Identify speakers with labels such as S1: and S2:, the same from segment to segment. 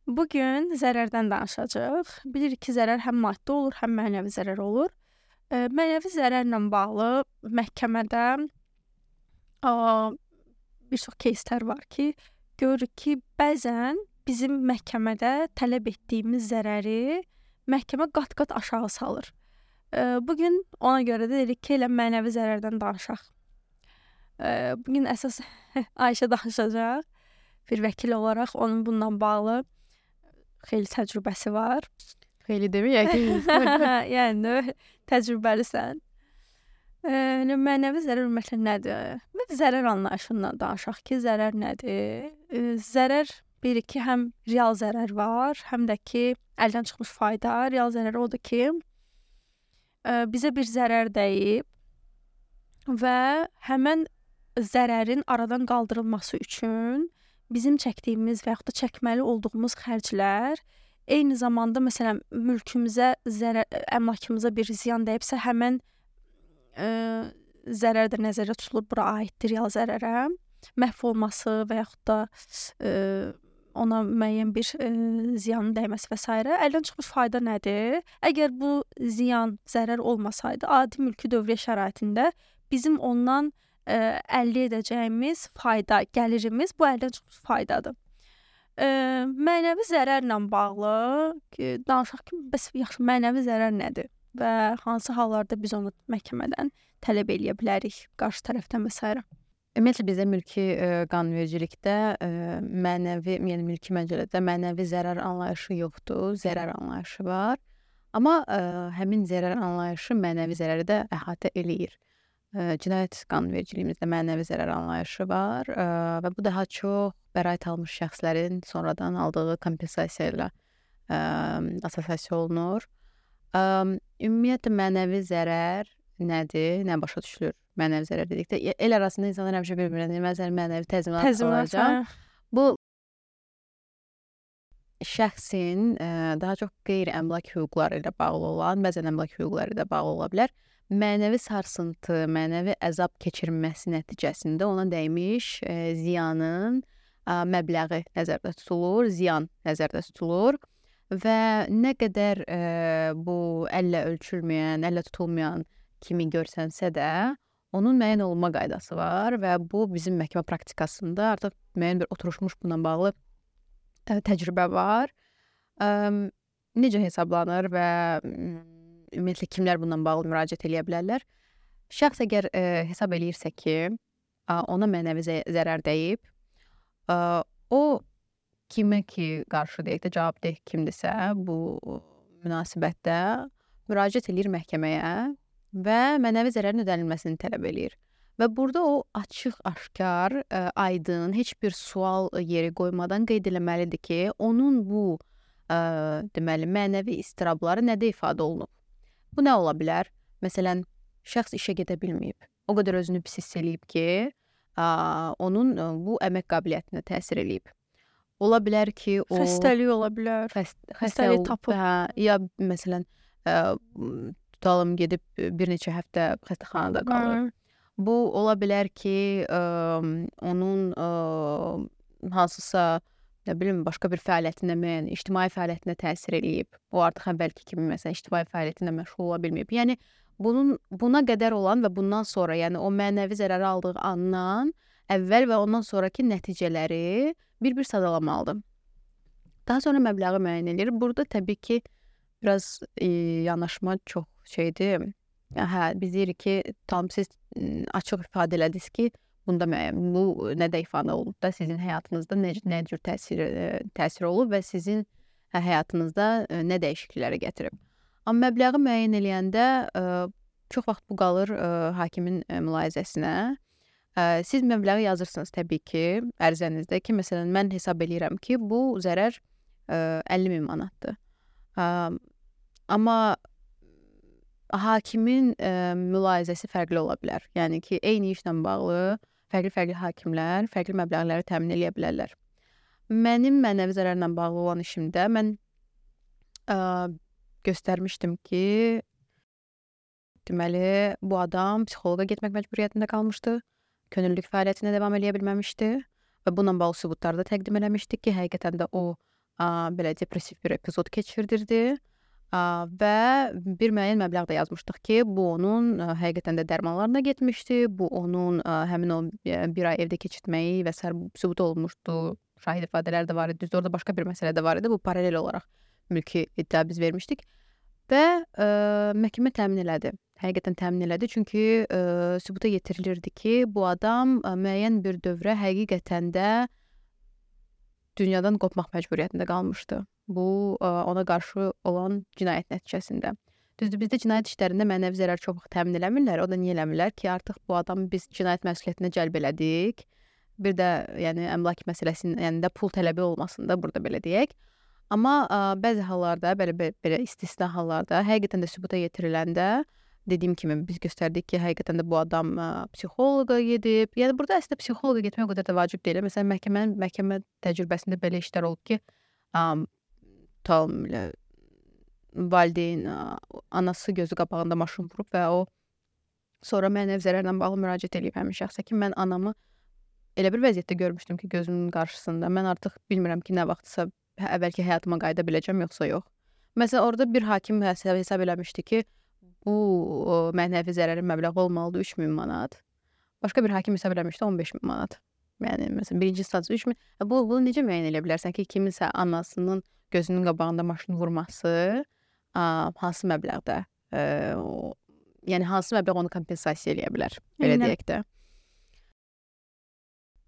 S1: Bugün zərərdən danışacağıq. Bilirik ki, zərər həm maddi olur, həm mənəvi zərər olur. Mənəvi zərərlə bağlı məhkəmədə bir çox кейslər var ki, görürük ki, bəzən bizim məhkəmədə tələb etdiyimiz zərəri məhkəmə qat-qat aşağı salır. Bugün ona görə də dedik ki, elə mənəvi zərərdən danışaq. Bugün əsas Ayşə danışacaq. Bir vəkil olaraq onun bununla bağlı xeyli təcrübəsi var.
S2: Xeyli deməyək ki.
S1: Yəni təcrübəlisən. Mənəvi zərər ümumiyyətlə nədir? Biz zərər anlayışından danışaq ki, zərər nədir? Zərər bir ki, həm real zərər var, həm də ki, əldən çıxmış fayda. Real zərər odur ki, bizə bir zərər dəyib və həmən zərərin aradan qaldırılması üçün bizim çəkdiyimiz və yaxud da çəkməli olduğumuz xərclər, eyni zamanda məsələn mülkümüzə, əmlakımıza bir ziyan dəyibsə, həmən zərər də nəzərdə tutulur, bura aiddir real zərərə. Məhv olması və yaxud da ona müəyyən bir ziyanın dəyməsi və s. Əldən çıxmış fayda nədir? Əgər bu ziyan, zərər olmasaydı, adi mülki dövriyyə şəraitində bizim ondan əldə edəcəyimiz fayda, gəlirimiz bu əldən çıxmış faydadır. Mənəvi zərərlə bağlı danışaq ki, bəs yaxşı mənəvi zərər nədir və hansı hallarda biz onu məhkəmədən tələb eləyə bilərik qarşı tərəfdən və s.
S2: Ümumiyyətlə bizdə mülki qanunvericilikdə mənəvi, yəni mülki məcəllədə mənəvi zərər anlayışı yoxdur, zərər anlayışı var. Amma həmin zərər anlayışı mənəvi zərəri də əhatə eləyir. Cinayət qanunvericiliyimizdə mənəvi zərər anlayışı var və bu daha çox bəraət almış şəxslərin sonradan aldığı kompensasiya ilə assosiasiya olunur. Ümumiyyətlə mənəvi zərər nədir, nə başa düşülür mənəvi zərər dedikdə? El arasında insanlar həmişə bir-birinə deyir, məsələn, mənəvi təzminat alacaq. Bu şəxsin daha çox qeyri-əmlak hüquqları ilə bağlı olan, bəzən əmlak hüquqları ilə bağlı ola bilər. Mənəvi sarsıntı, mənəvi əzab keçirməsi nəticəsində ona dəymiş ziyanın məbləği nəzərdə tutulur, ziyan nəzərdə tutulur və nə qədər bu əllə ölçülməyən, əllə tutulmayan kimi görsənsə də, onun müəyyən olunma qaydası var və bu bizim məhkəmə praktikasında artıq müəyyən bir oturuşmuş bununla bağlı təcrübə var. Necə hesablanır və ümumiyyətlə kimlər bununla bağlı müraciət eləyə bilərlər? Şəxs əgər hesab eləyirsə ki, ona mənəvi zərər dəyib, o kimə ki qarşı deyək də cavabdeh kimdirsə bu münasibətdə müraciət eləyir məhkəməyə və mənəvi zərərin ödənilməsini tələb eləyir. Və burada o açıq, aşkar, aydın, heç bir sual yeri qoymadan qeyd eləməlidir ki, onun bu deməli mənəvi istirabları nədə ifadə olunub? Bu nə ola bilər? Məsələn, şəxs işə gedə bilməyib. O qədər özünü pis hiss eləyib ki, onun bu əmək qabiliyyətinə təsir eləyib. Ola bilər ki, o
S1: xəstəlik ola bilər. Xəstəlik tapıb.
S2: Ya məsələn, tutalım gedib bir neçə həftə xəstəxanada qalır. Bu ola bilər ki, onun hansısa nə bilim, başqa bir fəaliyyətinə, ictimai fəaliyyətinə təsir eləyib. O artıq əvvəlki kimi məsələn ictimai fəaliyyətinə məşğul ola bilməyib. Yəni buna qədər olan və bundan sonra, yəni o mənəvi zərəri aldığı andan əvvəl və ondan sonraki nəticələri bir-bir sadalamalıdır. Daha sonra məbləği müəyyən edir. Burada təbii ki, biraz yanaşma çox şeydir. Biz deyirik ki, tam siz açıq ifadə elədiniz ki, bunda müəyyən, bu nədə ifadə olub da sizin həyatınızda nə cür təsir olub və sizin həyatınızda nə dəyişiklikləri gətirib. Amma məbləği müəyyən eləyəndə çox vaxt bu qalır hakimin mülahizəsinə. Siz məbləği yazırsınız təbii ki, ərizənizdə ki, məsələn, mən hesab eləyirəm ki, bu zərər 50.000 manatdır. Amma hakimin mülahizəsi fərqli ola bilər. Yəni ki, eyni işlə bağlı fərqli hakimlər fərqli məbləğləri təmin edə bilərlər. Mənim mənəvi zərərlə bağlı olan işimdə mən göstərmişdim ki, deməli, bu adam psixoloqa getmək məcburiyyətində qalmışdı, könüllülük fəaliyyətinə davam edə bilməmişdi və bununla bağlı sübutlar da təqdim eləmişdik ki, həqiqətən də o belə depressiv bir epizod keçirdirdi. Və bir müəyyən məbləğ də yazmışdıq ki, bu onun həqiqətən də dərmanlarına getmişdi. Bu onun həmin o bir ay evdə keçirtməyi və sair sübut olunmuşdu. Şahid ifadələr də var idi. Düzdür, orada başqa bir məsələ də var idi. Bu paralel olaraq mülki iddia biz vermişdik. Və məhkəmə təmin elədi. Həqiqətən təmin elədi. Çünki sübuta yetirilirdi ki, bu adam müəyyən bir dövrə həqiqətən də dünyadan qopmaq məcburiyyətində qalmışdı. Bu ona qarşı olan cinayət nəticəsində. Düzdür, bizdə cinayət işlərində mənəvi zərər çox vaxt təmin eləmirlər. O da niyə eləmirlər ki, artıq bu adamı biz cinayət məsuliyyətinə cəlb elədik. Bir də yəni əmlak məsələsinin yanında pul tələbi olmasında burada belə deyək. Amma bəzi hallarda, belə istisna hallarda həqiqətən də sübuta yetiriləndə dediyim kimi biz göstərdik ki, həqiqətən də bu adam psixoloqa gedib. Yəni burada əslində psixoloqa getmək o qədər də vacib deyil. Məsələn, məhkəmə təcrübəsində belə işlər olub ki, valideyn anası gözü qabağında maşın vurub və o sonra mənəvi zərərlə bağlı müraciət edib həmin şəxsə ki, mən anamı elə bir vəziyyətdə görmüşdüm ki, gözümün qarşısında. Mən artıq bilmirəm ki, nə vaxtsa əvvəlki həyatıma qayıda biləcəm, yoxsa yox. Məsələn, orada bir hakim hesab eləmişdi ki, bu mənəvi zərərin məbləği olmalıdır 3000 manat. Başqa bir hakim hesab eləmişdi 15000 manat. Yəni məsələn, birinci instansiya 3000. Bunu necə müəyyən edə bilərsən ki, kiminsə anasının gözünün qabağında maşın vurması hansı məbləğdə? Yəni hansı məbləğ onu kompensasiya eləyə bilər? Belə deyək də.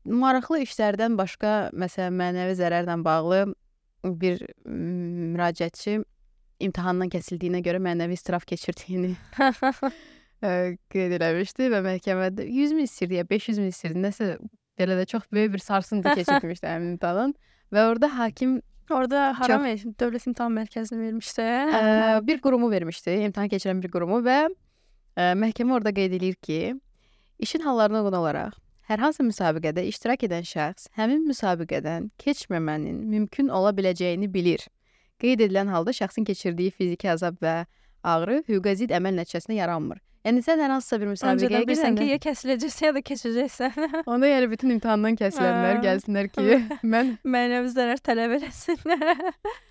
S2: Maraqlı işlərdən başqa, məsələn, mənəvi zərərlə bağlı bir müraciətçi imtahandan kəsildiyinə görə mənəvi istiraf keçirdiyini qeyd eləmişdi və məhkəmədə 100.000 istəyirdi ya 500.000 istəyirdi. Nəsə belə də çox böyük bir sarsıntı keçirmişdi həmin imtahandan və orada hakim
S1: haram Dövlət İmtahan Mərkəzinə vermişdi.
S2: Bir qurumu vermişdi, imtahan keçirən bir qurumu və məhkəmə orada qeyd edir ki, işin hallarına uyğun olaraq hər hansı müsabiqədə iştirak edən şəxs həmin müsabiqədən keçməmənin mümkün ola biləcəyini bilir. Qeyd edilən halda şəxsin keçirdiyi fiziki əzab və ağrı hüquqa zidd əməl nəticəsində yaranmır. Yəni sən hər hansısa bir müsabiqəyə
S1: girsən ki, ya kəsiləcəksən ya da keçəcəksən.
S2: Onda yəni bütün imtahandan kəsilənlər gəlsinlər ki, mən
S1: mənəvi zərər tələb eləsinlər.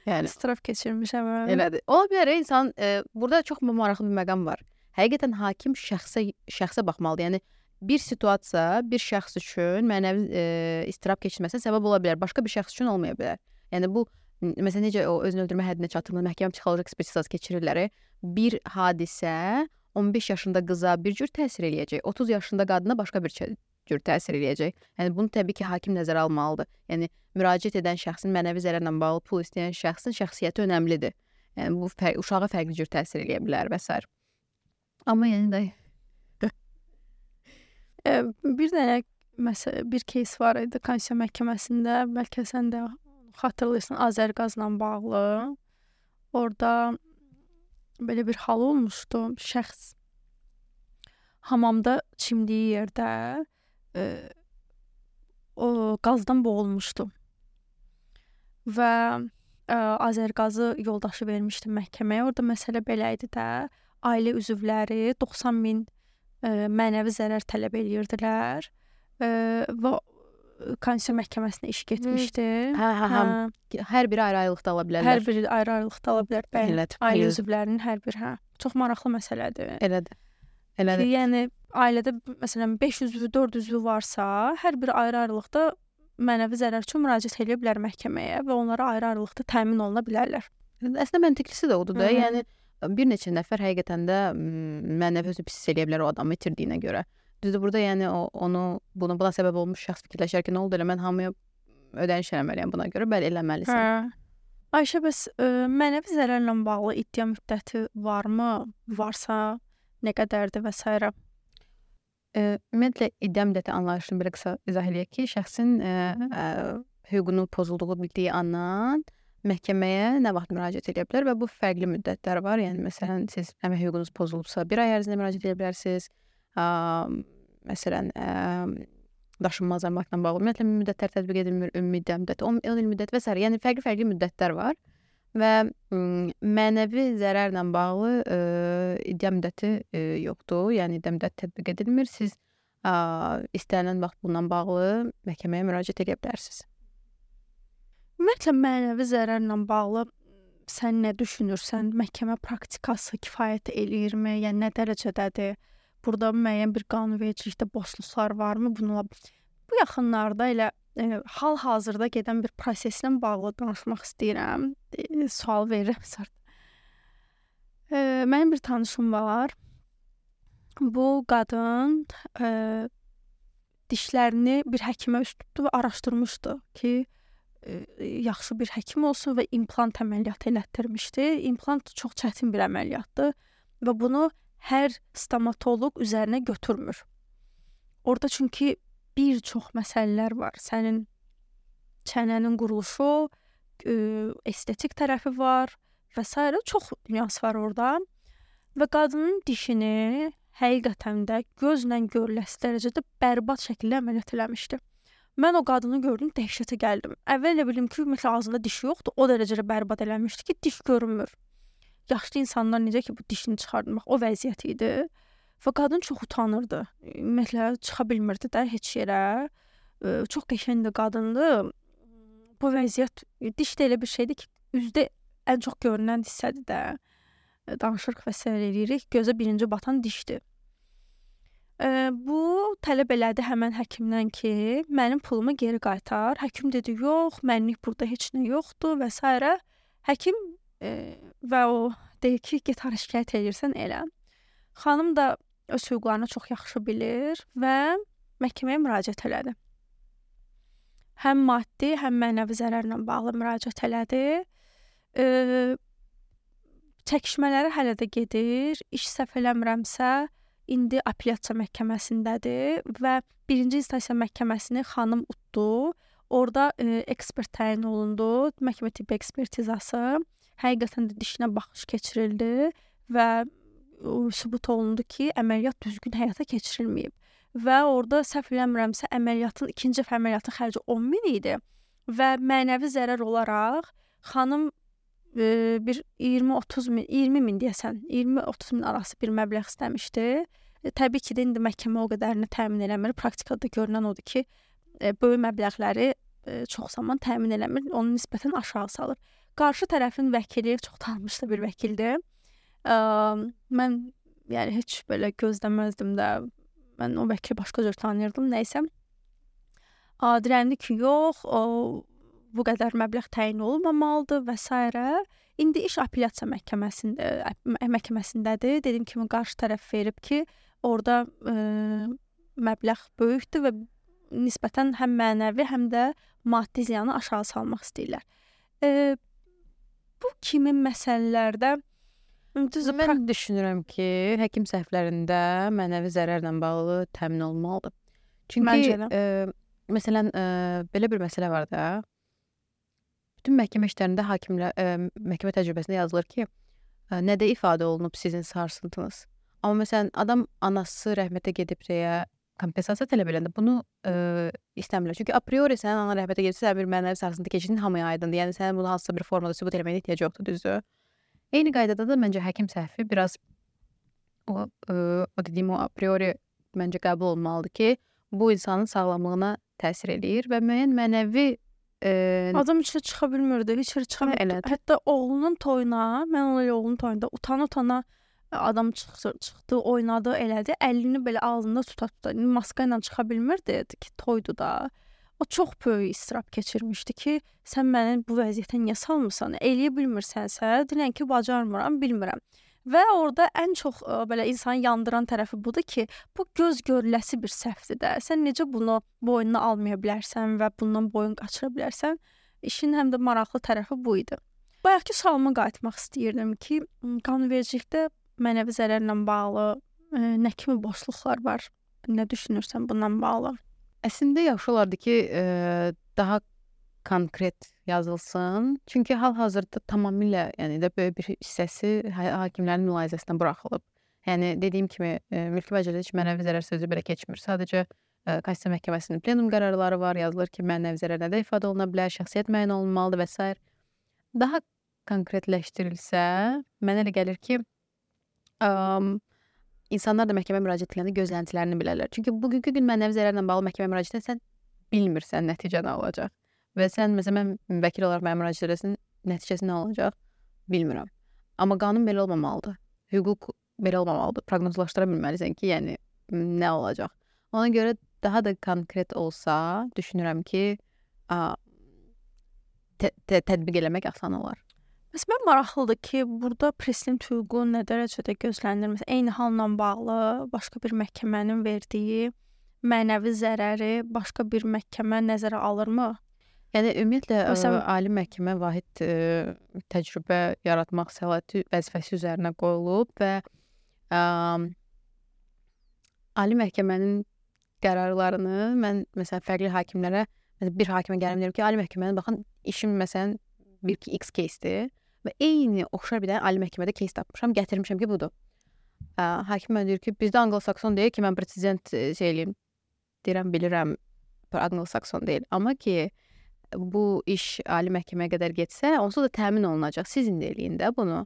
S2: Yəni
S1: istiraf keçirmişəm.
S2: Elədir. Ola bilər insan burada çox maraqlı bir məqam var. Həqiqətən hakim şəxsə baxmalıdır. Yəni bir situasiya bir şəxs üçün mənəvi istirab keçirməsinə səbəb ola bilər, başqa bir şəxs üçün olmaya bilər. Yəni bu məsələn necə o özünü öldürmə həddinə çatdırılır, məhkəmə psixoloji ekspertizası keçirirlər. Bir hadisə 15 yaşında qıza bir cür təsir eləyəcək, 30 yaşında qadına başqa bir cür təsir eləyəcək. Yəni bunu təbii ki, hakim nəzərə almalıdır. Yəni müraciət edən şəxsin mənəvi zərərlə bağlı pul istəyən şəxsin şəxsiyyəti önəmlidir. Yəni bu uşağa fərqli cür təsir eləyə bilər və s. Amma yəni də
S1: bir dənə bir кейs var idi Konstitusiya Məhkəməsində, bəlkə sən də xatırlayırsan, Azərqazla bağlı. Orada belə bir hal olmuşdu. Şəxs hamamda çimdiyi yerdə o qazdan boğulmuşdu. Və Azərqazı yoldaşı vermişdi məhkəməyə. Orada məsələ belə idi də, ailə üzvləri 90.000 mənəvi zərər tələb edirdilər və Konstitusiya Məhkəməsinə iş getmişdi.
S2: Hər biri ayrı-ayrılıqda ala bilərlər.
S1: Hər biri ayrı-ayrılıqda ala bilər. Bəli, ailə üzvlərinin hər biri. Çox maraqlı məsələdir.
S2: Elədir.
S1: Yəni ailədə məsələn 5 üzvü, 4 üzvü varsa, hər biri ayrı-ayrılıqda mənəvi zərər üçün müraciət edə bilər məhkəməyə və onlara ayrı-ayrılıqda təmin oluna bilərlər.
S2: Əslində məntiqlisi də odur da. Yəni bir neçə nəfər həqiqətən də mənəvi özünü pis eləyə bilər o adamı itirdiyinə görə. Düzdür, burada yəni buna səbəb olmuş şəxs fikirləşər ki, nə oldu elə mən hamıya ödəniş eləməliyəm buna görə, bəli eləməlisən.
S1: Ayşə, bəs mənəvi zərərlə bağlı iddia müddəti varmı? Varsa nə qədərdir və s.
S2: Ümumiyyətlə iddia müddəti anlayışını belə qısa izah eləyək ki, şəxsin hüququnun pozulduğu bildiyi andan məhkəməyə nə vaxt müraciət edə bilər və bu fərqli müddətlər var. Yəni məsələn siz əmək hüququnuz pozulubsa 1 ay ərzində müraciət edə bilərsiniz. Məsələn daşınmaz əmlakla bağlı ümumiyyətlə müddətlər tətbiq edilmir, ümumi iddia müddəti, 10 il müddəti və s. Yəni fərqli müddətlər var və mənəvi zərərlə bağlı iddia müddəti yoxdur. Yəni iddia müddəti tətbiq edilmir. Siz istənilən vaxt bununla bağlı məhkəməyə müraciət edə bilərsiniz.
S1: Ümumiyyətlə mənəvi zərərlə bağlı sən nə düşünürsən? Məhkəmə praktikası kifayət eləyirmi? Yəni nə dərəcədədir? Burada müəyyən bir qanunvericilikdə boşluqlar varmı? Bununla bu yaxınlarda elə hal-hazırda gedən bir proseslə bağlı danışmaq istəyirəm. Sual verirəm sonra. Mənim bir tanışım var. Bu qadın dişlərini bir həkimə üst tutdu və araşdırmışdı ki, yaxşı bir həkim olsun və implant əməliyyatı elətdirmişdi. İmplant çox çətin bir əməliyyatdır və bunu hər stomatoloq üzərinə götürmür. Orada çünki bir çox məsələlər var. Sənin çənənin quruluşu, estetik tərəfi var və s. çox nüans var orada. Və qadının dişini həqiqətən də gözlə görüləsi dərəcədə bərbad şəkildə əməliyyat eləmişdi. Mən o qadını gördüm, dəhşətə gəldim. Əvvəl elə bildim ki, ümumiyyətlə ağzında dişi yoxdur. O dərəcədə bərbad eləmişdi ki, diş görünmür. Yaşlı insanlar necə ki bu dişini çıxardmaq, o vəziyyət idi. Və qadın çox utanırdı. Ümumiyyətlə çıxa bilmirdi də heç yerə. Çox qəşəng də qadındı. Bu vəziyyət diş də elə bir şeydir ki, üzdə ən çox görünən hissədir də. Danışırıq və s. eləyirik. Gözə birinci batan dişdir. Bu tələb elədi həmən həkimdən ki, mənim pulumu geri qaytar. Həkim dedi, yox, mənlik burada heç nə yoxdur və s. Həkim və o deyir ki, get hara şikayət edirsən elə. Xanım da öz hüquqlarını çox yaxşı bilir və məhkəməyə müraciət elədi. Həm maddi, həm mənəvi zərərlə bağlı müraciət elədi. Çəkişmələri hələ də gedir. İş səhv eləmirəmsə, indi apellyasiya məhkəməsindədir və birinci instansiya məhkəməsini xanım utdu. Orada ekspert təyin olundu. Məhkəmə tibbi ekspertizası. Həqiqətən də dişinə baxış keçirildi və sübut olundu ki, əməliyyat düzgün həyata keçirilməyib. Və orada səhv eləmirəmsə, ikinci əməliyyatın xərci 10.000 idi və mənəvi zərər olaraq xanım bir 20-30 min deyəsən, 20-30 min arası bir məbləğ istəmişdi. Təbii ki, indi məhkəmə o qədərini təmin eləmir. Praktikada görünən odur ki, böyük məbləğləri çox zaman təmin eləmir, onu nisbətən aşağı salır. Qarşı tərəfin vəkili çox tanınmış bir vəkildir. Mən yəni heç belə gözləməzdim də. Mən o vəkili başqa cür tanıyırdım, nəysə. Dirəndi ki, yox, bu qədər məbləğ təyin olunmamalıdır və s. İndi iş apellyasiya məhkəməsindədir. Dediyim kimi qarşı tərəf verib ki, orada məbləğ böyükdür və nisbətən həm mənəvi, həm də maddi ziyanı aşağı salmaq istəyirlər. Bu kimi məsələlərdə
S2: mən düşünürəm ki, həkim səhvlərində mənəvi zərərlə bağlı təmin olunmalıdır. Çünki məsələn belə bir məsələ var da. Bütün məhkəmə işlərində məhkəmə təcrübəsində yazılır ki, nədə ifadə olunub sizin sarsıntınız. Amma məsələn adam anası rəhmətə gedib deyə kompensasiya tələb edəndə bunu istəmirlər. Çünki a priori sənin anan rəhmətə gedibsə, sən bir mənəvi sarsıntı keçirdin, hamıya aydındır. Yəni sənin bunu hansısa bir formada sübut eləməyə ehtiyac yoxdur, düzdür? Eyni qaydada da məncə həkim səhvi biraz o dediyim o a priori məncə qəbul olunmalıdır ki, bu insanın sağlamlığına təsir eləyir və müəyyən mənəvi
S1: adam içə çıxa bilmirdi, heç yerə çıxa bilmirdi. Hətta oğlunun toyuna, mən onun oğlunun toyunda utana adam çıxdı, oynadı, elədi. Əlini belə ağzında tuta. Maska ilə çıxa bilmirdi ki, toydu da. O çox böyük istirab keçirmişdi ki, sən məni bu vəziyyətə niyə salmısan? Eləyə bilmirsənsə, denən ki, bacarmıram, bilmirəm. Və orada ən çox belə insanı yandıran tərəfi budur ki, bu göz görüləsi bir səhvdir də. Sən necə bunu boynuna almaya bilərsən və bundan boyun qaçıra bilərsən? İşin həm də maraqlı tərəfi bu idi. Bayaqki sualıma qayıtmaq istəyirdim ki, qanunvericilikdə mənəvi zərərlə bağlı nə kimi boşluqlar var? Nə düşünürsən bundan bağlı?
S2: Əslində yaxşı olardı ki, daha konkret yazılsın. Çünki hal-hazırda tamamilə, yəni də böyük bir hissəsi hakimlərin mülahizəsinə buraxılıb. Yəni dediyim kimi, mülki məcəllədə heç mənəvi zərər sözü belə keçmir. Sadəcə Konstitusiya Məhkəməsinin plenum qərarları var, yazılır ki, mənəvi zərər nədə ifadə oluna bilər, şəxsiyyət müəyyən olunmalıdır və s. Daha konkretləşdirilsə, mənə elə gəlir ki, insanlar da məhkəmə müraciət edəndə gözləntilərini bilərlər. Çünki bugünkü gün mənəvi zərərlə bağlı məhkəmə müraciət etsən, bilmirsən nəticə nə olacaq. və sən məsələn mən vəkil olaraq mənə müraciət edəsən, nəticəsi nə olacaq bilmirəm. Amma qanun belə olmamalıdır. Hüquq belə olmamalıdır. Proqnozlaşdıra bilməlisən ki, yəni nə olacaq. Ona görə daha da konkret olsa, düşünürəm ki, tətbiq eləmək asan olar.
S1: Məsələn, maraqlıdır ki, burada prezident hüququ nə dərəcədə gözlənilir? Məsələn, eyni halla bağlı başqa bir məhkəmənin verdiyi mənəvi zərəri başqa bir məhkəmə nəzərə alırmı?
S2: Yəni ümumiyyətlə
S1: Məsələn,
S2: ali məhkəmə vahid təcrübə yaratmaq səlahiyyəti vəzifəsi üzərinə qoyulub və ali məhkəmənin qərarlarını mən məsələn fərqli hakimlərə, məsələn bir hakimə gəlib deyirəm ki, ali məhkəmənin baxın işim məsələn bir ki X кейsdir və eyni oxşar bir dənə ali məhkəmədə keys tapmışam, gətirmişəm ki, budur. Hakim mənə deyir ki, bizdə Anglo-Sakson deyil ki, mən presizent eləyim. Deyirəm, bilirəm, Anglo-Sakson deyil. Amma ki, bu iş ali məhkəməyə qədər getsə, onsuz da təmin olunacaq. Sizin də eləyin də bunu.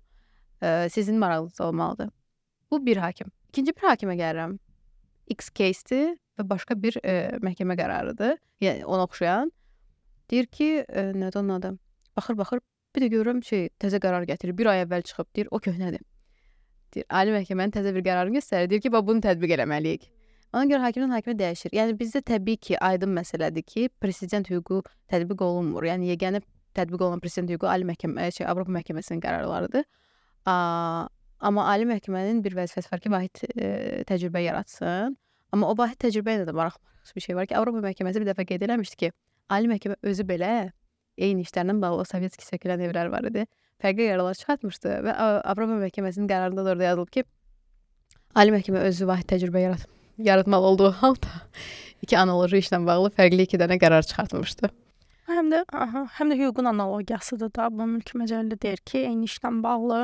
S2: Sizin maraqınız olmalıdır. Bu bir hakim. İkinci bir hakimə gəlirəm. X кейsdir və başqa bir məhkəmə qərarıdır. Yəni, ona oxşayan. Deyir ki, nədir onun adı? Baxır, bir də görürəm təzə qərar gətirir. Bir ay əvvəl çıxıb, deyir, o köhnədir. Deyir, ali məhkəmənin təzə bir qərarını göstərir. Deyir ki, bunu tətbiq eləməliyik. Ona görə hakimdən hakimə dəyişir. Yəni, bizdə təbii ki, aydın məsələdir ki, prezident hüququ tətbiq olunmur. Yəni, yeganə tətbiq olunan prezident hüququ ali məhkəmə, Avropa məhkəməsinin qərarlarıdır. Amma ali məhkəmənin bir vəzifəsi var ki, vahid təcrübə yaratsın. Amma o vahid təcrübə ilə də maraqlı bir şey var ki, Avropa məhkəməsi bir dəfə qeyd eləmişdi ki, ali məhkəmə özü belə eyni işlərlə bağlı sovetski sökülən evlər var idi. Fərqli qərarlar çıxartmışdı və Avropa məhkəməsinin qərarında da orada yazılıb ki, ali məhkəmə özü vahid təcrübə yaratmalı olduğu halda iki analoji işlə bağlı fərqli 2 dənə qərar çıxartmışdı.
S1: həm də hüququn analogiyasıdır da. Bu mülki məcəllə deyir ki, eyni işlə bağlı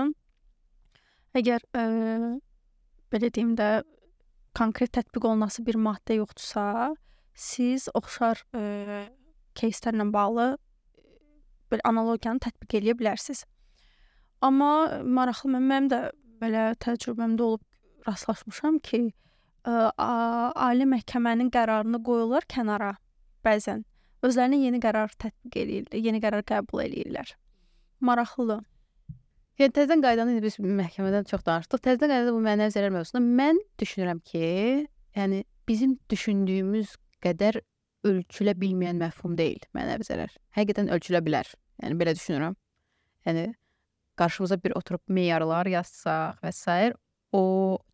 S1: əgər belə deyim də konkret tətbiq olunası bir maddə yoxdursa, siz oxşar кейslərlə bağlı belə analogiyanı tətbiq eləyə bilərsiniz. Amma maraqlı mənim də belə təcrübəmdə olub rastlaşmışam ki, ali məhkəmənin qərarını qoyurlar kənara bəzən. Özlərinə yeni qərar tətbiq eləyirlər, yeni qərar qəbul eləyirlər. Maraqlıdır.
S2: Yəni təzədən qaydanı biz məhkəmədən çox danışdıq. Təzədən qaydada bu mənəvi zərər mövzusunda mən düşünürəm ki, yəni bizim düşündüyümüz qədər ölçülə bilməyən məfhum deyil mənəvi zərər. Həqiqətən ölçülə bilər. Yəni belə düşünürəm. Yəni qarşımıza bir oturub meyarlar yazsaq və s. o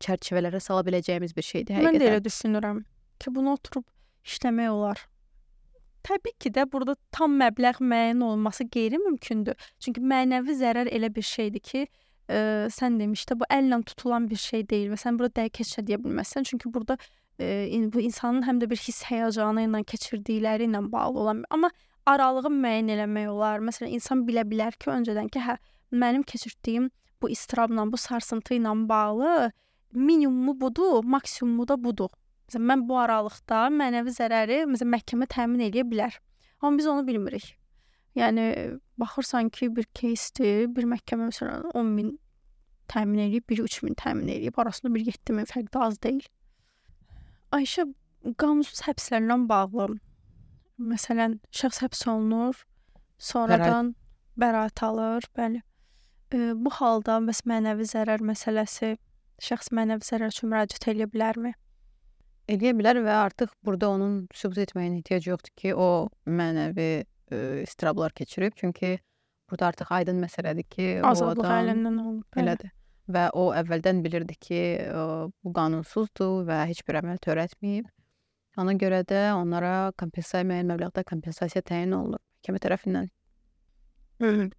S2: çərçivələrə sala biləcəyimiz bir şeydir həqiqətən.
S1: Mən də elə düşünürəm ki, bunu oturub işləmək olar. Təbii ki də burada tam məbləğ müəyyən olması qeyri-mümkündür. Çünki mənəvi zərər elə bir şeydir ki, sən demişdə bu əllə tutulan bir şey deyil və sən burada dəqiq deyə bilməzsən. Çünki burada bu insanın həm də bir hiss həyəcanı ilə keçirdikləri ilə bağlı olan, amma aralığı müəyyən eləmək olar. Məsələn, insan bilə bilər ki, öncədən ki, mənim keçirdiyim bu istirabla, bu sarsıntı ilə bağlı minimumu budur, maksimumu da budur. Məsələn, mən bu aralıqda mənəvi zərəri məhkəmə təmin edə bilər. Amma biz onu bilmirik. Yəni baxırsan ki, bir keysdir, bir məhkəmə məsələn 10.000 təmin edib, biri 3.000 təmin edib, arasında bir 7.000 fərq də az deyil. Ayşə, qanunsuz həbslərlə bağlı, məsələn, şəxs həbs olunur, sonradan bəraət alır, bəli. Bu halda mənəvi zərər məsələsi, şəxs mənəvi zərər üçün müraciət edə bilərmi?
S2: Eləyə bilər və artıq burada onun sübut etməyin ehtiyacı yoxdur ki, o mənəvi istirablar keçirib. Çünki burada artıq aydın məsələdir ki,
S1: azadlıq əlindən olub.
S2: Elədir. Və o əvvəldən bilirdi ki, bu qanunsuzdur və heç bir əməl törətməyib. Ona görə də onlara müəyyən məbləğdə kompensasiya təyin olunur məhkəmə tərəfindən.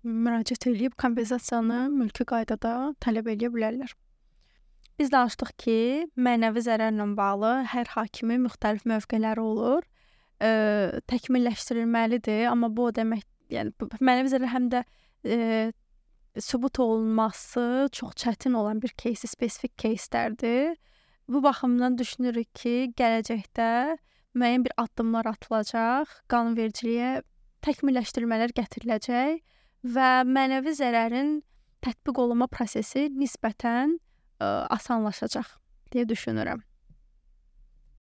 S1: Müraciət edib kompensasiyanı mülki qaydada tələb edə bilərlər. Biz danışdıq ki, mənəvi zərərlə bağlı hər hakimin müxtəlif mövqeləri olur. Təkmilləşdirilməlidir, amma bu o demək, yəni mənəvi zərər həm də sübut olunması çox çətin olan bir кейsi, spesifik keyslərdir. Bu baxımdan düşünürük ki, gələcəkdə müəyyən bir addımlar atılacaq, qanunvericiliyə təkmilləşdirmələr gətiriləcək və mənəvi zərərin tətbiq olunma prosesi nisbətən asanlaşacaq deyə düşünürəm.